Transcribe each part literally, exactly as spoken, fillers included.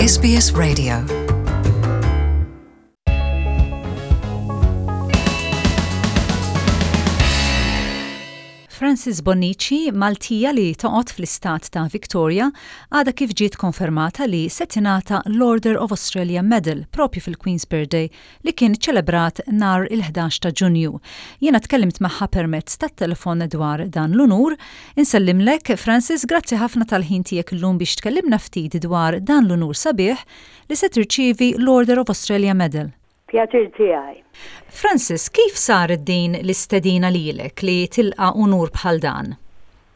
S B S Radio. Frances Bonnici, Maltija li toqgħod fl-istat ta' Victoria, għadha kif ġiet konfermata li se tingħata l-Order of Australia Medal propju fil-Queen's Birthday li kien ċelebrat nhar il-ħdax ta' Ġunju. Jiena tkellimt magħha permezz tat-telefon dwar dan l-unur. Insellimlek, Frances, grazzi ħafna tal-ħin tiegħek illum biex tkellimna ftit dwar dan l-unur sabiħ li se tirċievi, l-Order of Australia Medal. Pjaċir tiegħi. Frances, kif saret din l-istedina lilek li tilqa' unur bħal dan?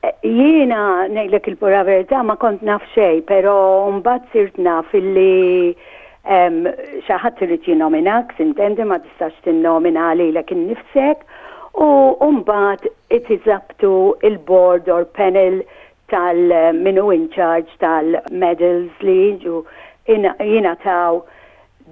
Eh, Jiena ngħidlek il-pura verità, ma kont naf xejn, però mbagħad sirt naf illi em, xi ħadd irid jinnominak, s'intendi, ma tistax tinnomina lilek innifsek, u mbagħad it is up to il-board or panel tal min hu in charge tal-medals li jiġu jingħataw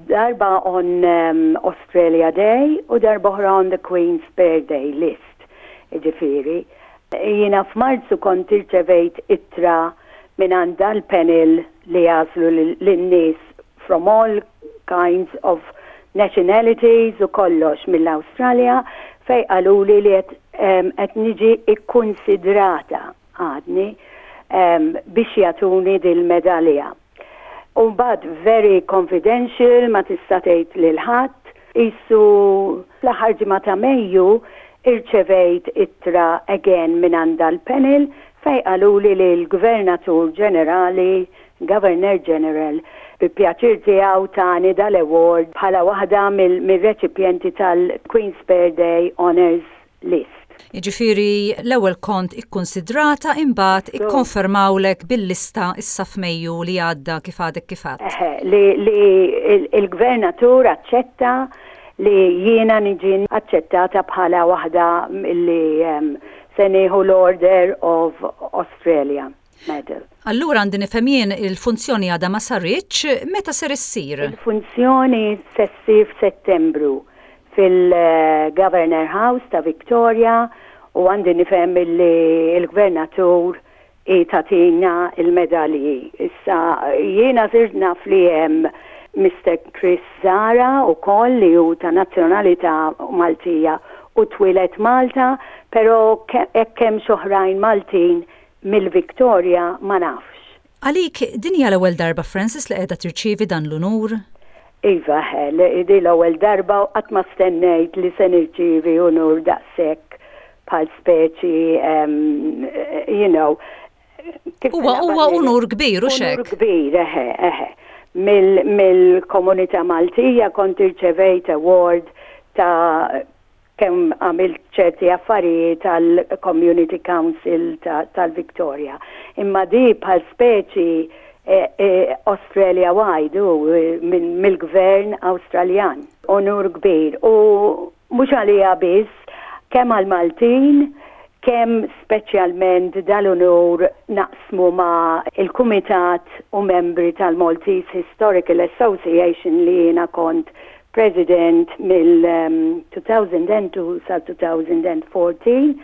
darba on um, Australia Day u darba oħra on the Queen's Birthday list. Ġifieri, jiena f'Marzu kont irċevejt ittra minn għand l-panel li jagħżlu lin-nies from all kinds of nationalities u kollox mill-Australia, fejn qaluli li qed niġi ikkonsidrata għadni um, biex jagħtuni dil-medalja. U mbagħad very confidential, ma tista' tgħid lil ħadd. Issa fl-aħħar ġimgħa ta' Mejju irċevejt ittra again minn għand l-panel fejn qaluli li l-Gvernatur Ġenerali, Governor General, bi pjaċir tiegħu tani dal-award bħala waħda mill-reċipjenti tal-Queen's Birthday Honours List. Jiġifieri l-ewwel kont ikkonsidrata, imbagħad ikkonfermawlek bil-lista issa f'Mejju li għadda, kif għadek kif għedt. Eħe, li, li il-gvernatur aċċetta li jiena niġi aċċettata bħala waħda li um, se nieħu l-Order of Australia Medal. Allura għandi nifhem jien, il-funzjoni għadha ma saritx, meta ser issir? Il-funzjoni se ssir f'Settembru fil-Governor House ta' Victoria u għandi nifhem li il-gvernatur jagħtina il-medalji. Issa jiena sirt naf li hemm Mister Chris Zara u koll li hu ta' nazzjonalità Maltija u twieled Malta, però hekk hemm oħrajn Maltin mill-Victoria ma nafx. Għalik din hija l-ewwel darba, Frances, li qiegħda tirċievi dan l-unur? Iva, di l-ewwel darba u qatt ma stennejt li se nirċievi unur daqshekk bħal speċi, um, you know. Huwa huwa unur kbir u Unur kbir, eħe, eħe. Mill-komunità Maltija kont irċevejt award ta' kemm għamilt ċerti affarijiet tal-Community Council tal-Victoria. Imma di bħal speċi e, e, Australia wide u mill-gvern Awstraljan. Onur kbir. U mhux għalija biss, kemm għal-Maltin, kemm speċjalment dal-unur naqsmu ma' il-Kumitat u membri tal-Maltese Historical Association li jiena kont president mill-elfejn u tnejn sa elfejn u erbatax,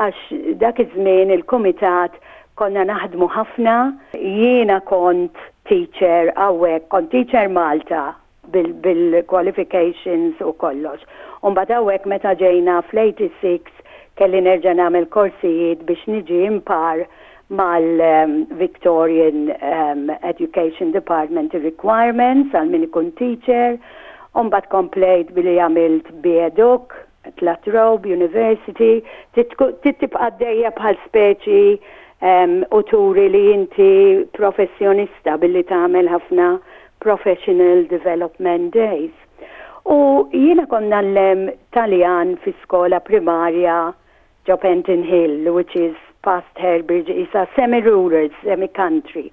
għax dak iż-żmien il-kumitat konna naħdmu ħafna. Jiena kont teacher hawnhekk, kont teacher Malta bil-qualifications u kollox. Umbagħad hawnhekk meta ġejna fl-sitta u tmenin kelli nerġa' nagħmel korsijiet biex niġi on par mal-Victorian um, Education Department requirements għal min ikun teacher. Umbagħad komplejt billi għamilt B Educ at La Trobe University, tibqa' għaddejja bħal speċi um, u turi li inti professjonista billi tagħmel ħafna professional development days. U jiena kont ngħallem Taljan fi skola primarja ġo Penton Hill, which is past Hairbridge, isa semi-rural, semi-country.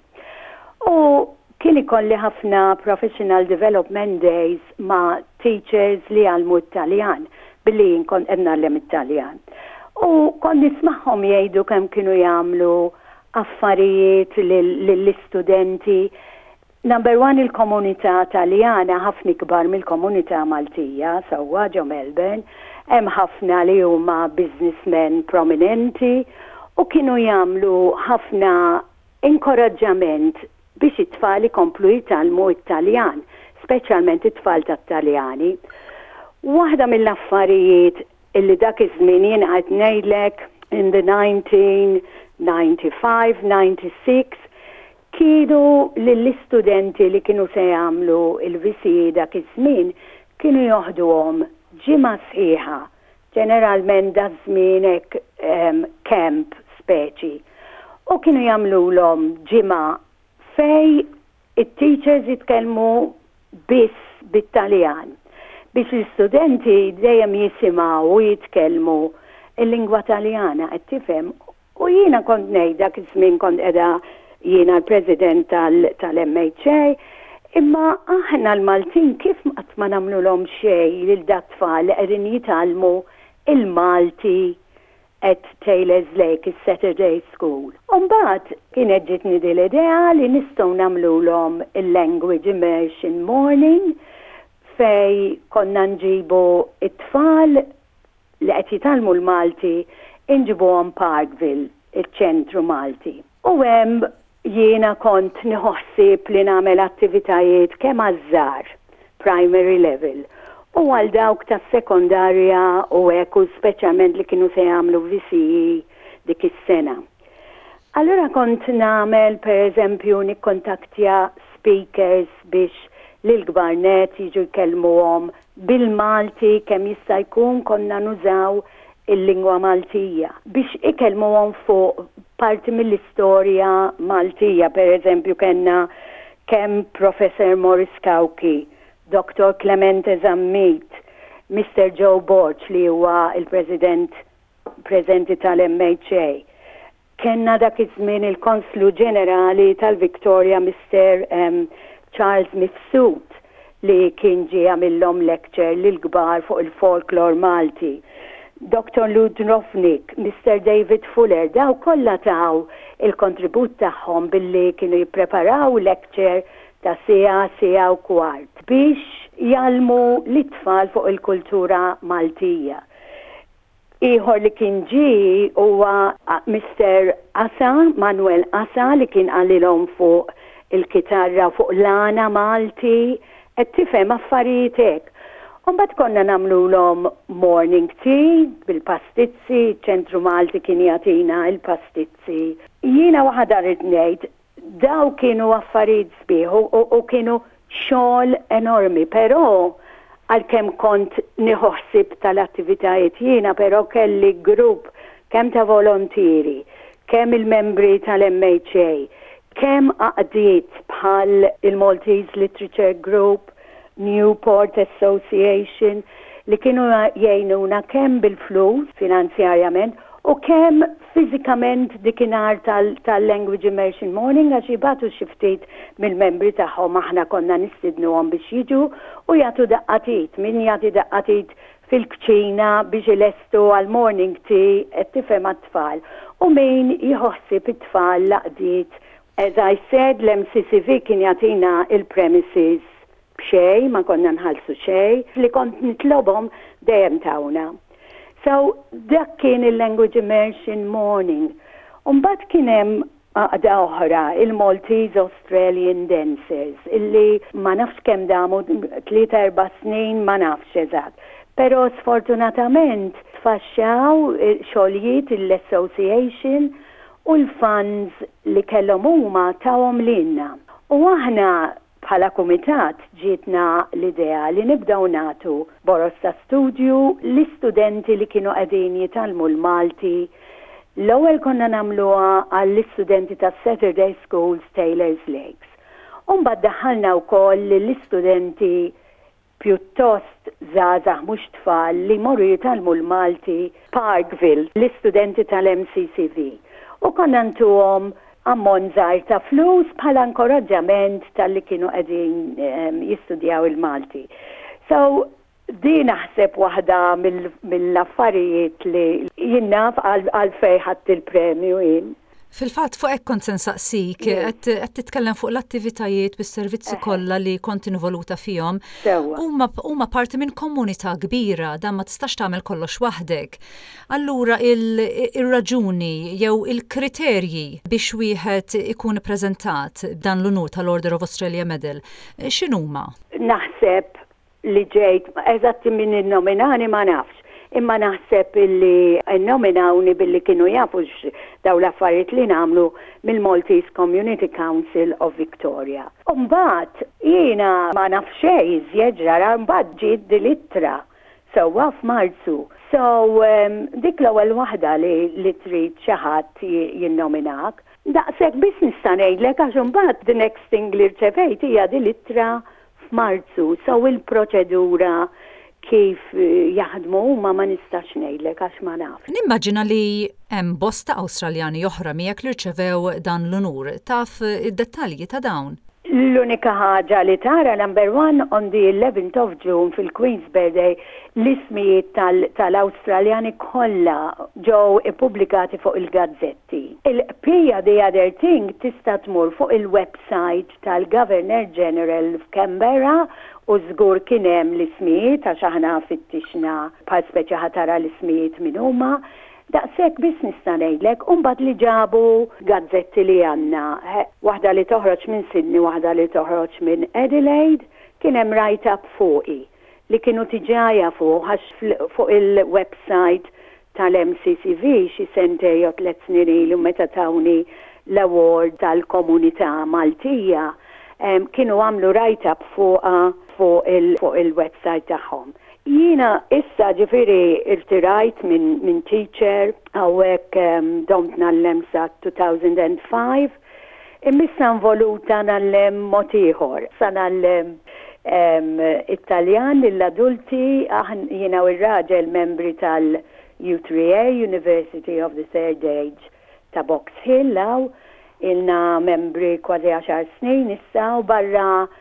U kien ikolli ħafna professional development days ma' teachers li għallmu Taljan, billi jien kont qed ngħallem it-Taljan. U kont nismagħhom jgħidu kemm kienu jagħmlu affarijiet lill-istudenti. Number one, il-komunità Taljana ħafna ikbar mill-komunità Maltija, sewwa ġo Melbourne, hemm ħafna li huma businessmen prominenti u kienu jagħmlu ħafna inkoraġġament. Biex it-tfal ikomplu jitgħallmu Italjan, speċjalment it-tfal tat-Taljani. Waħda mill-affarijiet illi dak iż-żmien, jien qed ngħidlek in the nineteen ninety-five ninety-six, kienu lill-istudenti li kienu se jagħmlu il-V C E dak iż-żmien kienu joħduhom ġimgħa sħiħa, ġeneralment daż-żmien hekk um, camp speċi. U kienu jagħmluhom ġimgħa fej it-teachers jitkellmu biss bit-Taljan biex l-istudenti dejjem jisimgħu u jitkellmu il-lingwa Taljana, qed tifhem? U jiena kont ngħid, dak iż-żmien kont qiegħda jiena l-president tal-M H A, imma aħna l-Maltin kif qatt ma nagħmluhom xejn lil dat-tfal li qegħdin jitgħallmu il-Malti at Taylor's Lake, il-Saturday School? Umbagħad kienet ġitni din l-idea li nistgħu nagħmluhom il-Language Immersion Morning fej konna nġibu it-tfal li qed jitgħallmu l-Malti, inġibuhom Parkville, il-ċentru Malti. U hemm jiena kont nieħu ħsieb li nagħmel attivitajiet kemm għaż-żgħar, primary level, u għal dawk tas sekondarja u hekk, u speċjalment li kienu se jagħmlu V C E dik is-sena. Allura kont nagħmel, per eżempju, nikkontaktja speakers biex lil-kbar nett jiġu jkellmuhom bil-Malti, kemm jista' jkun konna nużaw il-lingwa Maltija biex ikellmuhom fuq parti mill-istorja Maltija. Per eżempju, kellna kemm Professor Morris Cauchi, Doctor Clemente Zammit, Mister Joe Borg li huwa il-President preżenti tal-M H A. Kenna dak iż-żmien il-Konslu Ġenerali tal-Victoria, Mister Um, Charles Mifsud, li kien ġie għamillhom lecture lil kbar fuq il-folklor Malti. Doctor Lud Rofnik, Mister David Fuller, daw kollha taw il-kontribut tagħhom billi kienu jippreparaw lecture ta' siegħa, siegħa u kwart biex jgħallmu l-tfal fuq il-kultura Maltija. Ieħor li kien ġi huwa Mister Asa, Manuel Asa, li kien qalilhom fuq il-kitarra, fuq l-għana Malti, qed tifhem, affarijiet hekk. Umbagħad konna nagħmluhom morning tea bil-pastizzi, ċentru Malti kien jagħtina il-pastizzi. Jiena waħda rrid ngħid, daw kienu affarijiet sbieħ u, u kienu xogħol enormi, però għalkemm kont nieħu ħsieb tal-attivitajiet jiena, però kelli grupp kemm ta' volontieri, kemm il-membri tal-M H A, kemm għaqdiet bħal il-Maltese Literature Group, Newport Association, li kienu jgħinuna kemm bil-flus finanzjarjament u kemm fiżikament dikinhar tal-Language Immersion Morning, għax jibagħtu xi ftit mill-membri tagħhom, aħna konna nistidnuhom biex jiġu u jagħtu daqqa t'id, min jagħti daqqa t'id fil-kċina biex ilestu għal morning tea, qed tifhem, għat-tfal, u min jieħu ħsieb it-tfal, l-għaqdiet. As I said, l-M C C V kien jagħtina il-premises b'xejn, ma konna nħallsu xejn, li kont nitlobhom dejjem tawna. So, dak kien il-Language Immersion Morning. Umbagħad kien hemm għaqda oħra, il-Maltese Australian Dancers, illi ma nafx kemm damu, tlieta erba' snin, ma nafx eżatt. Però sfortunatament tfaxxaw, xoljiet l-association u l-funds li kellhom huma tawhom lilna. U aħna bħala kumitat ġietna l-idea li nibdaw nagħtu boroż ta' studju l-istudenti li kienu qegħdin jitgħallmu l-Malti. L-ewwel konna nagħmluha għall-istudenti ta' Saturday Schools Taylor's Lakes. Umbagħad daħħalna wkoll l-istudenti pjuttost żgħażagħ, mhux tfal, li morru jitgħallmu l-Malti Parkville, l-istudenti tal-M C C V. U konna ntuhom ammont żgħir ta' flus bħala inkoraġġament talli kienu qegħdin um, jistudjaw il-Malti. So, din naħseb waħda mill-affarijiet li jien naf għal fejn ħadt il-premju jien. Fil-fatt, fuq hekk kont se nsaqsik, qed titkellem fuq l-attivitajiet bis-servizzi kollha li kont involuta fihom. Huma huma parti minn komunità kbira, dan ma tistax tagħmel kollox waħdek. Allura il-raġuni jew il-kriterji biex wieħed ikun ippreżentat dan l-unur tal-Order of Australia Medal, x'inhuma? Naħseb li ġejt, eżatti min innominani ma nafx, imma naħseb illi nominawni billi kienu jafu daw l-affarijiet li nagħmlu mill-Maltese Community Council of Victoria. Umbagħad jiena ma naf xejn iżjed ġara, mbagħad ġiet dil-ittra sewwa f'Marzu. So um, dik l-ewwel waħda li, li trid xi ħadd jinnominak. Daqshekk biss nista' ngħidlek, għax imbagħad the next thing li rċevejt hija dil-ittra f'Marzu. So il-proċedura kif eh, jaħdmu huma ma nistax ngħidlek għax ma naf. Nimmaġina li hemm bosta Awstraljani oħra miegħek li rċevew dan l-unur. Taf id-dettalji ta' dawn? L-unika ħaġa li tara, number one, on the eleventh of June fil-Queen's Birthday, l-ismijiet tal-Awstraljani kollha ġew ippubblikati fuq il-gazzetti. Il-pija, the other thing, tista' tmur fuq il-website tal-Governor General f'Canberra u żgur kien hemm l-ismijiet, għax aħna fittixna bħal speċi ħa tara l-ismijiet min huma. Daqshekk biss nista' ngħidlek, u mbagħad li ġabu gazzetti li għandna, waħda li toħroġ minn Sydney, waħda li toħroġ minn Adelaide, kien hemm write-up fuqi li kienu diġà jafu għax fuq il-website tal-M C C V xi sentejn jew tliet snin ilu, meta tawni l-award tal-komunità Maltija, kienu għamlu write-up fuq fuq il-website tagħhom. Jiena issa ġifieri irtirajt minn min teacher, hawnhekk um, domt ngħallem sa elfejn u ħamsa, imma issa involuta ngħallem mod ieħor. Sa ngħallem um, Italjan lill-adulti, jiena u r-raġel membri tal-U three A, University of the Third Age ta' Box Hill, hawn ilna membri kważi għaxar snin issa, u barra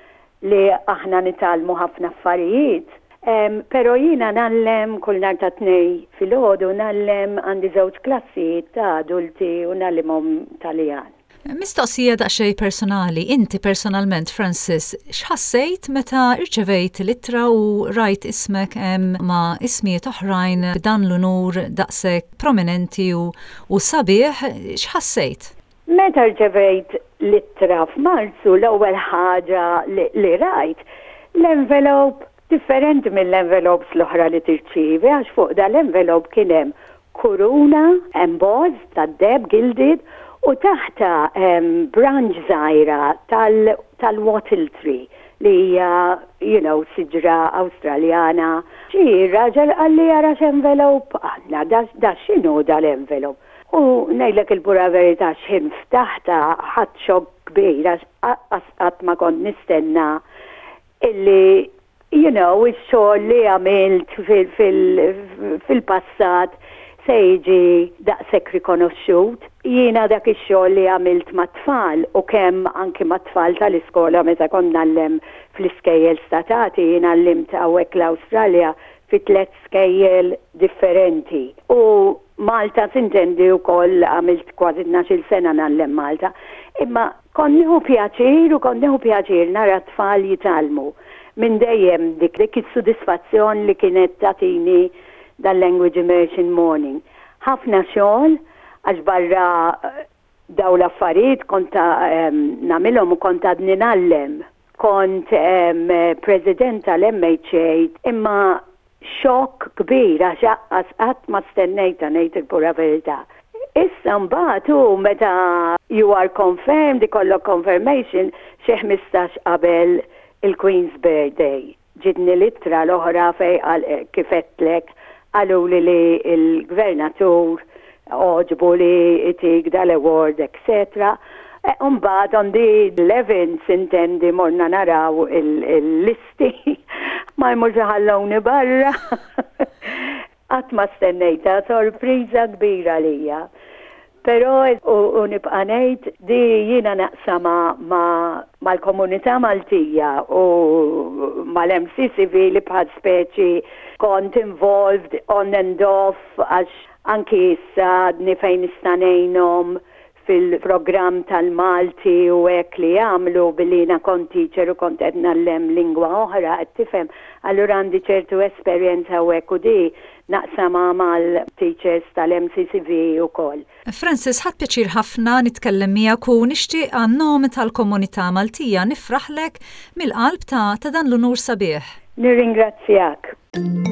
li aħna nitgħallmu ħafna affarijiet. Um, pero jiena ngħallem kull nhar ta' Tnejn filgħodu, ngħallem, għandi żewġ klassijiet ta' adulti u ngħallimhom Taljan. Mistoqsija daqsxejn personali, inti personalment, Francis, x'ħassejt meta irċevejt l-ittra u rajt ismek hemm ma' ismijiet oħrajn b'dan l-unur daqshekk prominenti u, u sabiħ, x'ħassejt? Meta rċevejt l-ittra f'Marzu, l-ewwel ħaġa li, li rajt l-envelope differenti mill-envelopes l-oħra li tirċievi, għax fuq dal-envelope kien hemm kuruna embossed tad-deheb, gilded, u taħtha um, branch żgħira tal-wattle tree li hija you know, siġra Awstraljana. Xi raġel qalli, "Ara x'envelope għandna, da, da x'inhu dal-envelope?" U ngħidlek il-pura verità, x'ħin ftaħtha ħadt xokk kbir għax qatt ma kont nistenna illi you know, ix-xogħol li għamilt fil-passat se jiġi daqshekk rikonoxxut. Jiena dak ix-xogħol li għamilt mat-tfal, u kemm anki mat-tfal tal-iskola meta kont ngħallem fl-iskejjel statali, jiena għallimt hawnhekk l-Awstralja fi tliet skejjel differenti. U Malta s'intendi wkoll għamilt kważi tnax-il sena ngħallem Malta. Imma kont nieħu pjaċir u kont nieħu pjaċir nara tfal jitgħallmu. Minn dejjem dik dik is-sodisfazzjon li kienet tagħtini dal-Language Immersion Morning. Ħafna xogħol, għax barra eh, daw l-affarijiet kont nagħmilhom u kont għadni ngħallem. Kont um, president tal-M H A, imma xokk kbir għax qatt ma stennejta, ngħid il-pura verità. Issa mbagħad u meta you are confirmed, ikollok confirmation xi ħmistax qabel il-Queen's Birthday. Ġietni l-ittra l-oħra fej eh, kif għedtlek qaluli li il-gvernatur għoġbu li jtik dal-award, et cetera. E, umbagħad on the eleventh intendi morna naraw il-listi, ma jmurx ħallowni barra. Qatt ma stennejta, sorpriża kbira lija. Pero u, u nibqa' ngħid di jiena naqsama ma mal-komunità Maltija u mal-M C C V li bħal speċi kont involved on and off, għax anki issa għadni fejn nista' ngħinhom. Fil-programm tal-Malti u hekk li jagħmlu, billi jiena kont teacher u kont qed ngħallem lingwa oħra, qed tifhem, allura għandi ċertu esperjenza u hekk u di naqsama mal-teachers tal-M C C V ukoll. Francis, ħadt pjaċir ħafna nitkellem miegħek u nixtieq għan-nom tal-komunità Maltija nifraħlek mill-qalb ta' ta' dan l-unur sabiħ. Nirringrazzjak.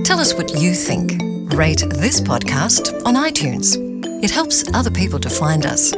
Tell us what you think. Rate this podcast on iTunes. It helps other people to find us.